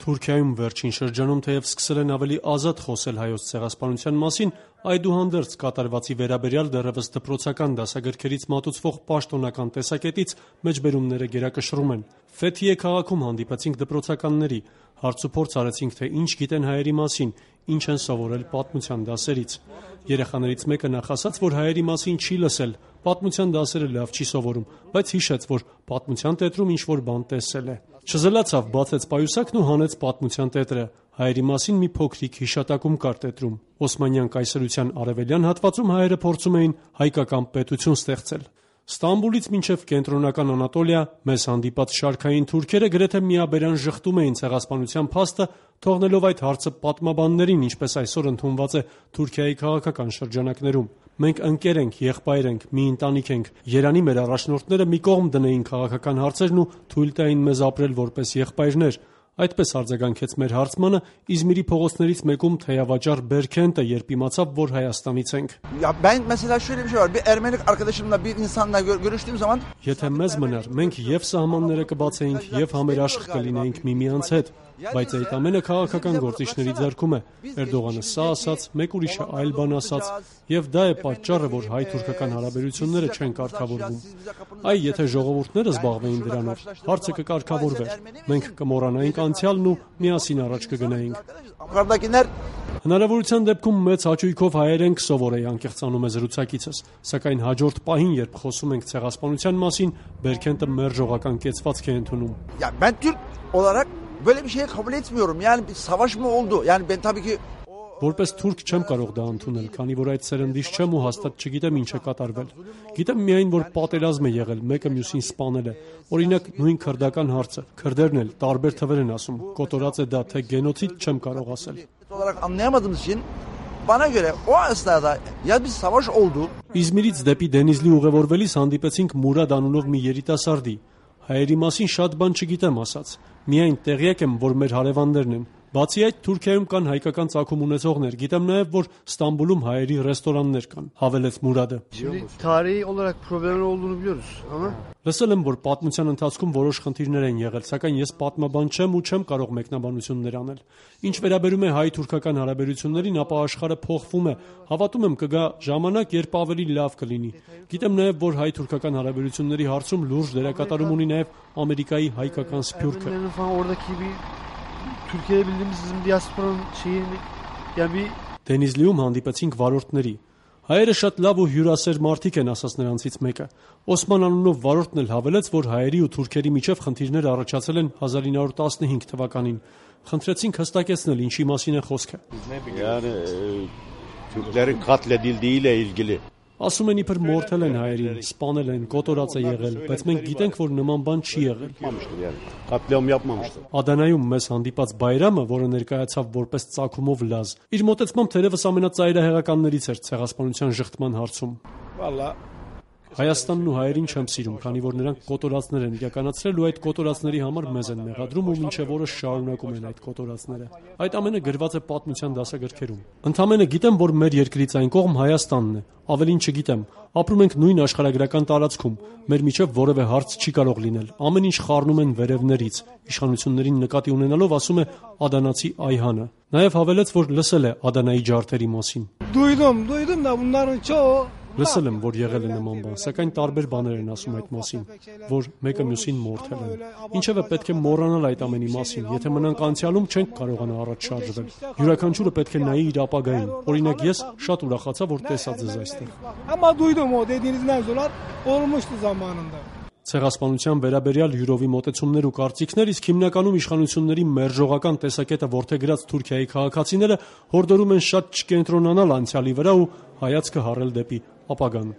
Թուրքիայում վերջին շրջանում թեև սկսել են ավելի ազատ խոսել հայոց ցեղասպանության մասին, այդուհանդերձ կատարվածի վերաբերյալ դեռևս դպրոցական դասագրքերից մատուցվող պաշտոնական տեսակետից մեջբերումները գերակշռում են։ Ֆեթիե քաղաքում հանդիպեցինք դպրոցականների, հարցուփորձ արեցինք, թե ինչ գիտեն հայերի մասին, ինչ են սովորել պատմության դասերից։ Երեխաներից մեկը նախ ասաց, որ հայերի մասին չի լսել, պատմության դասերը լավ չի սովորում, բայց հիշեց, որ պատմության տետրում ինչ-որ բան տեսել է։ Չզլացավ, բացեց պայուսակն ու հանեց պատմության տետրը։ Հայերի մասին մի փոքրիկ հիշատակում կար տետրում։ Օսմանյան կայսրության արևելյան հատվածում հայերը փորձում էին հայկական պետություն ստեղծել։ Ստամբուլից մինչև կենտրոնական Անատոլիա մեզ հանդիպած շարքային թուրքերը գրեթե միաբերան ժխտում էին ցեղասպանության փաստը, թողնելով այդ հարցը պատմաբաններին, ինչպես այսօր ընդունված է Թուրքիայի քաղաքական շրջանակներում։ Մենք ընկեր ենք, եղբայր ենք, մի ընտանիք ենք։ Երանի մեր առաջնորդները մի կողմ դնեին քաղաքական հարցերն ու թույլ տային մեզ ապրել որպես եղբայրներ։ Այդպես արձագանքեց մեր հարցմանը Իզմիրի փողոցներից մեկում թեյավաճառ Բերքենտը, երբ իմացավ, որ Հայաստանից ենք։ Եթե մեզ մնար, մենք եւ սահմանները կբացեինք, եւ համերաշխ կլինեինք միմյանց հետ, բայց այդ ամենը քաղաքական գործիչների ձեռքում է։ Էրդողանը սա ասաց, մեկ ուրիշը այլ բան ասաց, եւ դա է պատճառը, որ հայ-թուրքական հարաբերությունները չեն կարգավորվում։ Այ եթե ժողովուրդները զբաղվեին դրանով, հարցը կկարգավորվեր։ Մենք կմոռանայինք անցյալն ու միասին առաջ կգնայինք։ Հնարավորության դեպքում մեծ հաճույքով հայերեն կսովորեի, անկեղծանում է զրուցակիցս, սակայն հաջորդ պահին, երբ խոսում ենք ցեղասպանության մասին, Բերքենտը մերժողական կեցվածք է ընդունում։ Böyle bir şey kabul etmiyorum. Yani bir savaş mı oldu? Yani ben tabii ki Որպես թուրք չեմ կարող դա ընդունել, քանի որ այդ սերնդից չեմ ու հաստատ չգիտեմ ինչ է կատարվել։ Գիտեմ միայն, որ պատերազմ է եղել, մեկը մյուսին սպանել է։ Օրինակ, նույն քրդական հարցը, քրդերն էլ տարբեր թվեր են ասում, կոտորած է դա, թե գենոցիդ չեմ կարող ասել։ Bana göre o esnada ya bir savaş oldu. Իզմիրից դեպի Դենիզլի ուղևորվելիս հանդիպեցինք Մուրադ անունով մի երիտասարդի։ Հայերի մասին շատ բան չգիտեմ ասաց։ Միայն տեղյակ եմ, որ մեր հարևաններն են։ Բացի այդ, Թուրքիայում կան հայկական ծագում ունեցողներ։ Գիտեմ նաև, որ Ստամբուլում հայերի ռեստորաններ կան, հավելեց Մուրադը։ Tarihi olarak problemler olduğunu biliyoruz, ama Լսել եմ, որ պատմության ընթացքում որոշ խնդիրներ են եղել, սակայն ես պատմաբան չեմ ու չեմ կարող մեկնաբանություններ անել։ Ինչ վերաբերում է հայ-թուրքական հարաբերություններին, ապա աշխարհը փոխվում է։ Հավատում եմ կգա ժամանակ, երբ ավելի լավ կլինի։ Գիտեմ նաև, որ հայ-թուրքական հարաբերությունների հարցում լուրջ դերակատարում ունի նաև Ամերիկայի հայկական սփյուռքը։ Türkiye'de bildiğimiz bizim diasporanın şeyini yani bir Դենիզլիում հանդիպեցինք վարորդների։ Հայերը շատ լավ ու հյուրասեր մարդիկ են, ասաց նրանցից մեկը։ Օսման անունով վարորդն էլ հավելեց, որ հայերի ու թուրքերի միջև խնդիրներ առաջացել են 1915 թվականին։ Խնդրեցինք հստակեցնել ինչի մասին է խոսքը։ Yani Türklerin katledildiğiyle ilgili. Ասում են իբր մորթել են հայերին, սպանել են, կոտորած է եղել, բայց մենք գիտենք, որ նման բան չի եղել։ Katliam yapmamıştır. Ադանայում մեզ հանդիպած Բայրամը, որը ներկայացավ որպես ծագումով լազ, իր մոտեցմամբ թերևս ամենածայրահեղականներից էր ցեղասպանության ժխտման հարցում։ Vallahi Հայաստանն ու հայերին չեմ սիրում, քանի որ նրանք կոտորածներ են իրականացրել ու այդ կոտորածների համար մեզ են մեղադրում ու մինչև օրս շարունակում են այդ կոտորածները։ Այդ ամենը գրված է պատմության դասագրքերում։ Ընդամենը գիտեմ, որ մեր երկրից այն կողմ Հայաստանն է, ավելին չգիտեմ։ Ապրում ենք նույն աշխարհագրական տարածքում, մեր միջև որևէ հարց չի կարող լինել։ Ամեն ինչ խառնում են վերևներից։ Իշխանություններին նկատի ունենալով ասում է ադանացի Այհանը։ Նաև հավելեց, որ լսել է Ադանայի ջարդերի մասին։ Duydum da bunların çoğu Լսել եմ, որ եղել է նման բան, սակայն տարբեր բաներ են ասում այդ մասին, որ մեկը մյուսին մորթել են։ Ինչևէ պետք է մոռանալ այդ ամենի մասին, եթե մնանք անցյալում չենք կարողանա առաջ շարժվել։ Յուրաքանչյուրը պետք է նայի իր ապագային։ Օրինակ ես շատ ուրախացա, որ տեսա ձեզ այստեղ։ Ama duydum o dediğiniz mevzular olmuştu zamanında. Ցեղասպանության վերաբերյալ յուրովի մոտեցումներ ու կարծիքներ, իսկ հիմնականում իշխանությունների մերժողական տեսակետը որդեգրած Թուրքիայի քաղաքացիները հորդորում են շատ չկենտրոնանալ անցյալի վրա ու հայացքը հառել դեպի ապագան։